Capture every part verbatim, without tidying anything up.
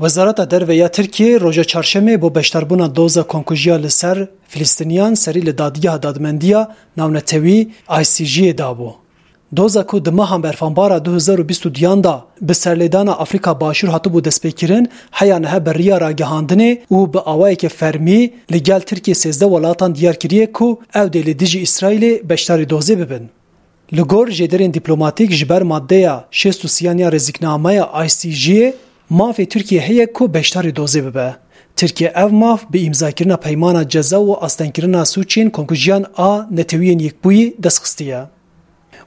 Wezareta Derve ya Tirkiyê roja çarşemê bo beşdarbûna doza komkujiya li ser Filistiniyan serî li Dadgeha Dadmendiya Navnetewî, I C J'ê, dabû. Doza ku di meha Berfanbara du hezar û bîst û duyan de bi serlêdana Afrîka Başûr hatibû destpêkirin, heya niha bi riya ragihandinê û bi awayeke fermî li gel Tirkiyê sêzdeh welatan diyar kiriye ku ew dê li dijî Îsraîlê beşdarî dozê bibin. Li gor jêderên dîplomatîk, ji ber maddeya şêst û sêyan ya rêziknameya I C J'ê, mafê Tirkiye heye ku beşdarî dozê bibe. Tirkiye ev maf bi îmzakirina peymana ceza û astengkirina sûcên komkujiyan a Neteweyên Yekbûyî dest xistiye.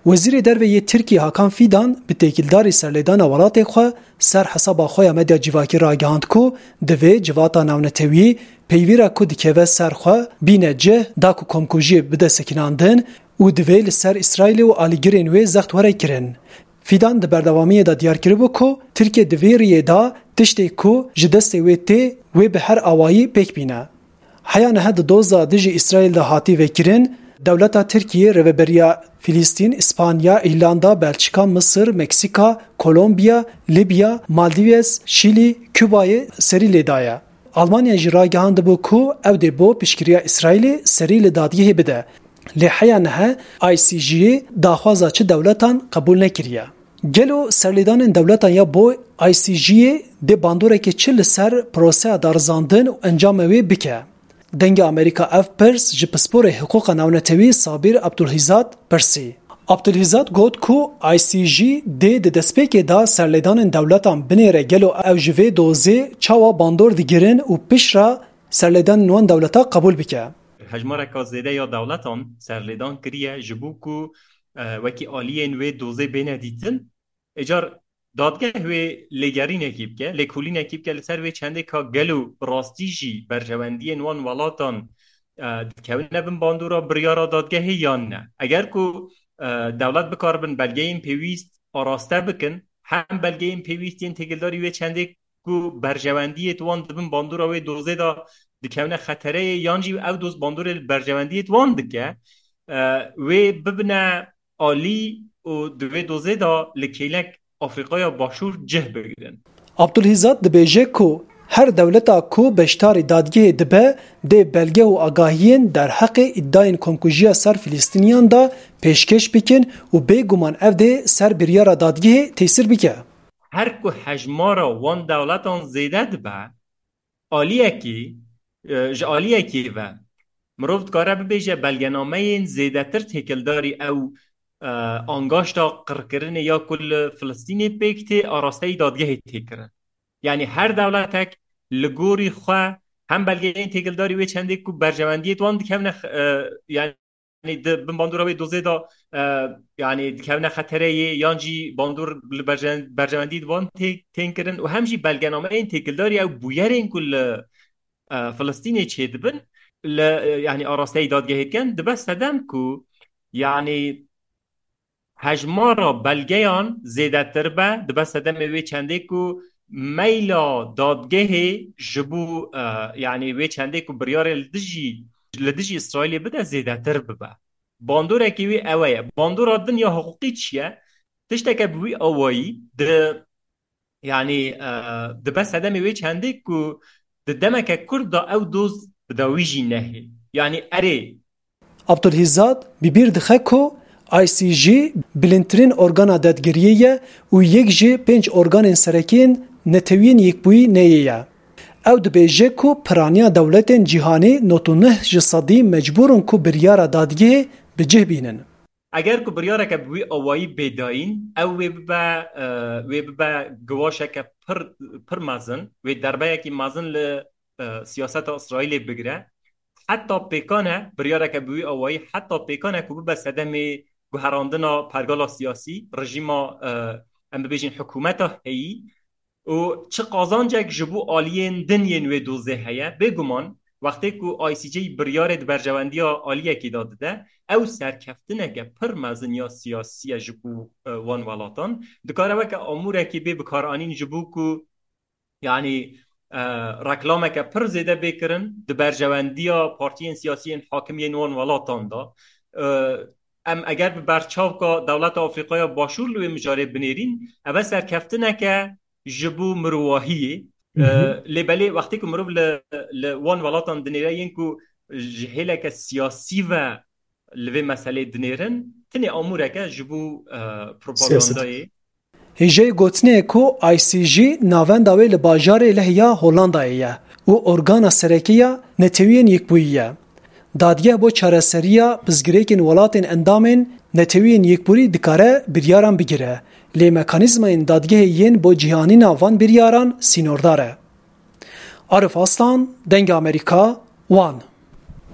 Wezîrê Derve yê Tirkiyê Hakan Fidan bi têkildarî serlêdana welatê xwe ser hesaba xwe ya medya civakî ragihand ku divê civata navnetewî peyvîra ku dikeve ser xwe bîne cih da ku komkujiyê bide sekinandin û divê li ser Îsraîlê û alîgirên wê zext were kirin. Fidan di berdewamiyê de diyar kiribû ku Tirkiye di vê riyê de tiştê ku ji destê wê tê, wê bi her awayî pêk bîne. Heya niha di doza dijî Îsraîl de hatî vekirin, dewleta Tirkiyê, Rêveberiya Filistîn, Îspanya, Îrlanda, Belçika, Misir, Meksika, Kolombiya, Libya, Maldivez, Şîlî, Kubayê serî lê daye. Almanya jî ragihandibû ku ew dê bo piştgiriya Îsraîlê serî li dadgehê bide. Lê heya niha I C J'ê daxwaza çi dewletan qebûl nekiriye. Gelo serlêdanên dewletan ya bo I C J'ê dê bandoreke çi li ser proseya darizandin û encamê wê bike? Dengê Amerîka ev pirs ji pisporê hiqûqa navnetewî Sabîr Abdulhîzad pirsî. Abdulhîzad got ku I C J dê di destpêkê de serlêdanên dewletan binêre gelo ew ji vê dozê çawa bandor digirin û piştre serlêdanên wan dewleta qebûl bike. Hejmareka zêde ya dewletan serlêdan kiriye ji bo ku, e, wekî aliyên wê dozê bêne dîtin. Êcar dadgeh wê lêgerînekî bike, lêkolînekî bike li ser wê çendê ka gelo bi rastî jî berjewendiyên wan welatan, e, dikevine bin bandora biryara dadgehê yan ne. Eger ku, e, dewlet bikaribin belgeyên pêwîst araste bikin, hem belgeyên pêwîst yên têkildarî wê çendê ku berjewendiyê di wan di bin bandora wê dozê de dikevine xetereyê, yan jî ew doz bandorê li berjewendiyê di wan dike, e, wê bibine alî û di vê dozê de li kêlek Afrîkaya Başûr cih bigirin. Abdulhîzad dibêje ku her dewleta ku beşdarî dadgehê dibe, dê belge û agahiyên derheqê îdayên komkujiya ser Filistîniyan de pêşkêş bikin û bêguman ev dê ser biryara dadgehê tesîr bike. Her ku hejmara wan dewletan zêde dibe, aliyekî, e, ji aliyekî ve mirov dikare bibêje belgenameyên zêdetir têkildarî ew, e, angaşta qirkirinê ya ku li Filistînê pêk tê arasteyî dadgehê tê kirin. Yanî her dewletek li gorî xwe hem belgeyên têkildarî wê çendê ku berjewendiyê di wan dikevine, e, yanî di bin bandora wê dozê de, e, yanî dikevine xetereyê yan jî bandor li berje-, berjewendî di wan tê-, tên kirin û hem jî belgenameyên têkildarî ew bûyerên ku li, e, Filistînê çêdibin li, e, yanî arasteyî dadgehê dikin, dibe sedem ku yanî hejmara belgeyan zêdetir be, dibe sedemê wê çendê ku meyla dadgehê ji bo, e, yanî wê çendê ku biryarê li dijî, li dijî Îsraîlê bide zêdetir bibe. Bandorekî wî ew e. Bandora din ya hiqûqî çi ye? Tişteke bi wî awayî di, yanî, e, dibe sedemê wê çendê ku di demeke kurt de ew doz bi dawî jî nehê. Yanî erê, Abdulhîzad bi bîr dixe ku I C J bilindtirîn organa dadgiriyê ye û yek ji pênc organên serekî yên Neteweyên Yekbûyî neyê ye. Ew dibêje ku piraniya dewletên cîhanî nod û neh ji sedî mecbûr in ku biryara dadgehê bi cih bînin. Eger ku biryareke bi wî awayî bê dayîn, ew wê bibe, e, wê bibe giwaşeke pir, pir mezin, wê derbeyekî mezin li, e, siyaseta Îsraîlê bigire. Heta pêkan e, biryareke bi wî awayî heta pêkan e ku bibe sedemê guherandina pergala siyasî, rejîma, e, em bibêjin hikûmeta heyî û çi qazancek ji bo aliyên din yên wê dozê heye. Bêguman, wextê ku I C J biryarê di berjewendiya aliyekî de dide, ew serkeftineke pir mezin ya siyasî ye ji bo, e, wan welatan. Dikare weke amûrekî bê bikaranîn ji bo ku, yanî, e, reklameke pir zêde bê kirin di berjewendiya partiyên siyasî yên hakim yên wan welatan de. E, em eger bi berçavka dewleta Afrîkaya Başûr li wê mijarê binêrîn, ev e serkeftineke ji bo mirovahiyê. Hı hı. E, lê belê wextê ku mirov li, li wan welatan dinêre yên ku ji hêleke siyasî ve li vê meselê dinêrin, tenê amûreke ji bo, e, propagandayê. Hêjayî gotinê ye ku I C J navenda wê li bajarê Leh ya Hollandayê ye û organa sereke ya Netewiyên Yekbûyî ye. Dadgeh bo çareseriya pirsgirêkên welatên endamên Netewiyên Yekbûyî dikare biryaran bigire, lê mekanîzmayên dadgehê yên bo cîhanîna van biryaran sînordar e. Arif Aslan, Dengê Amerîka, Wan.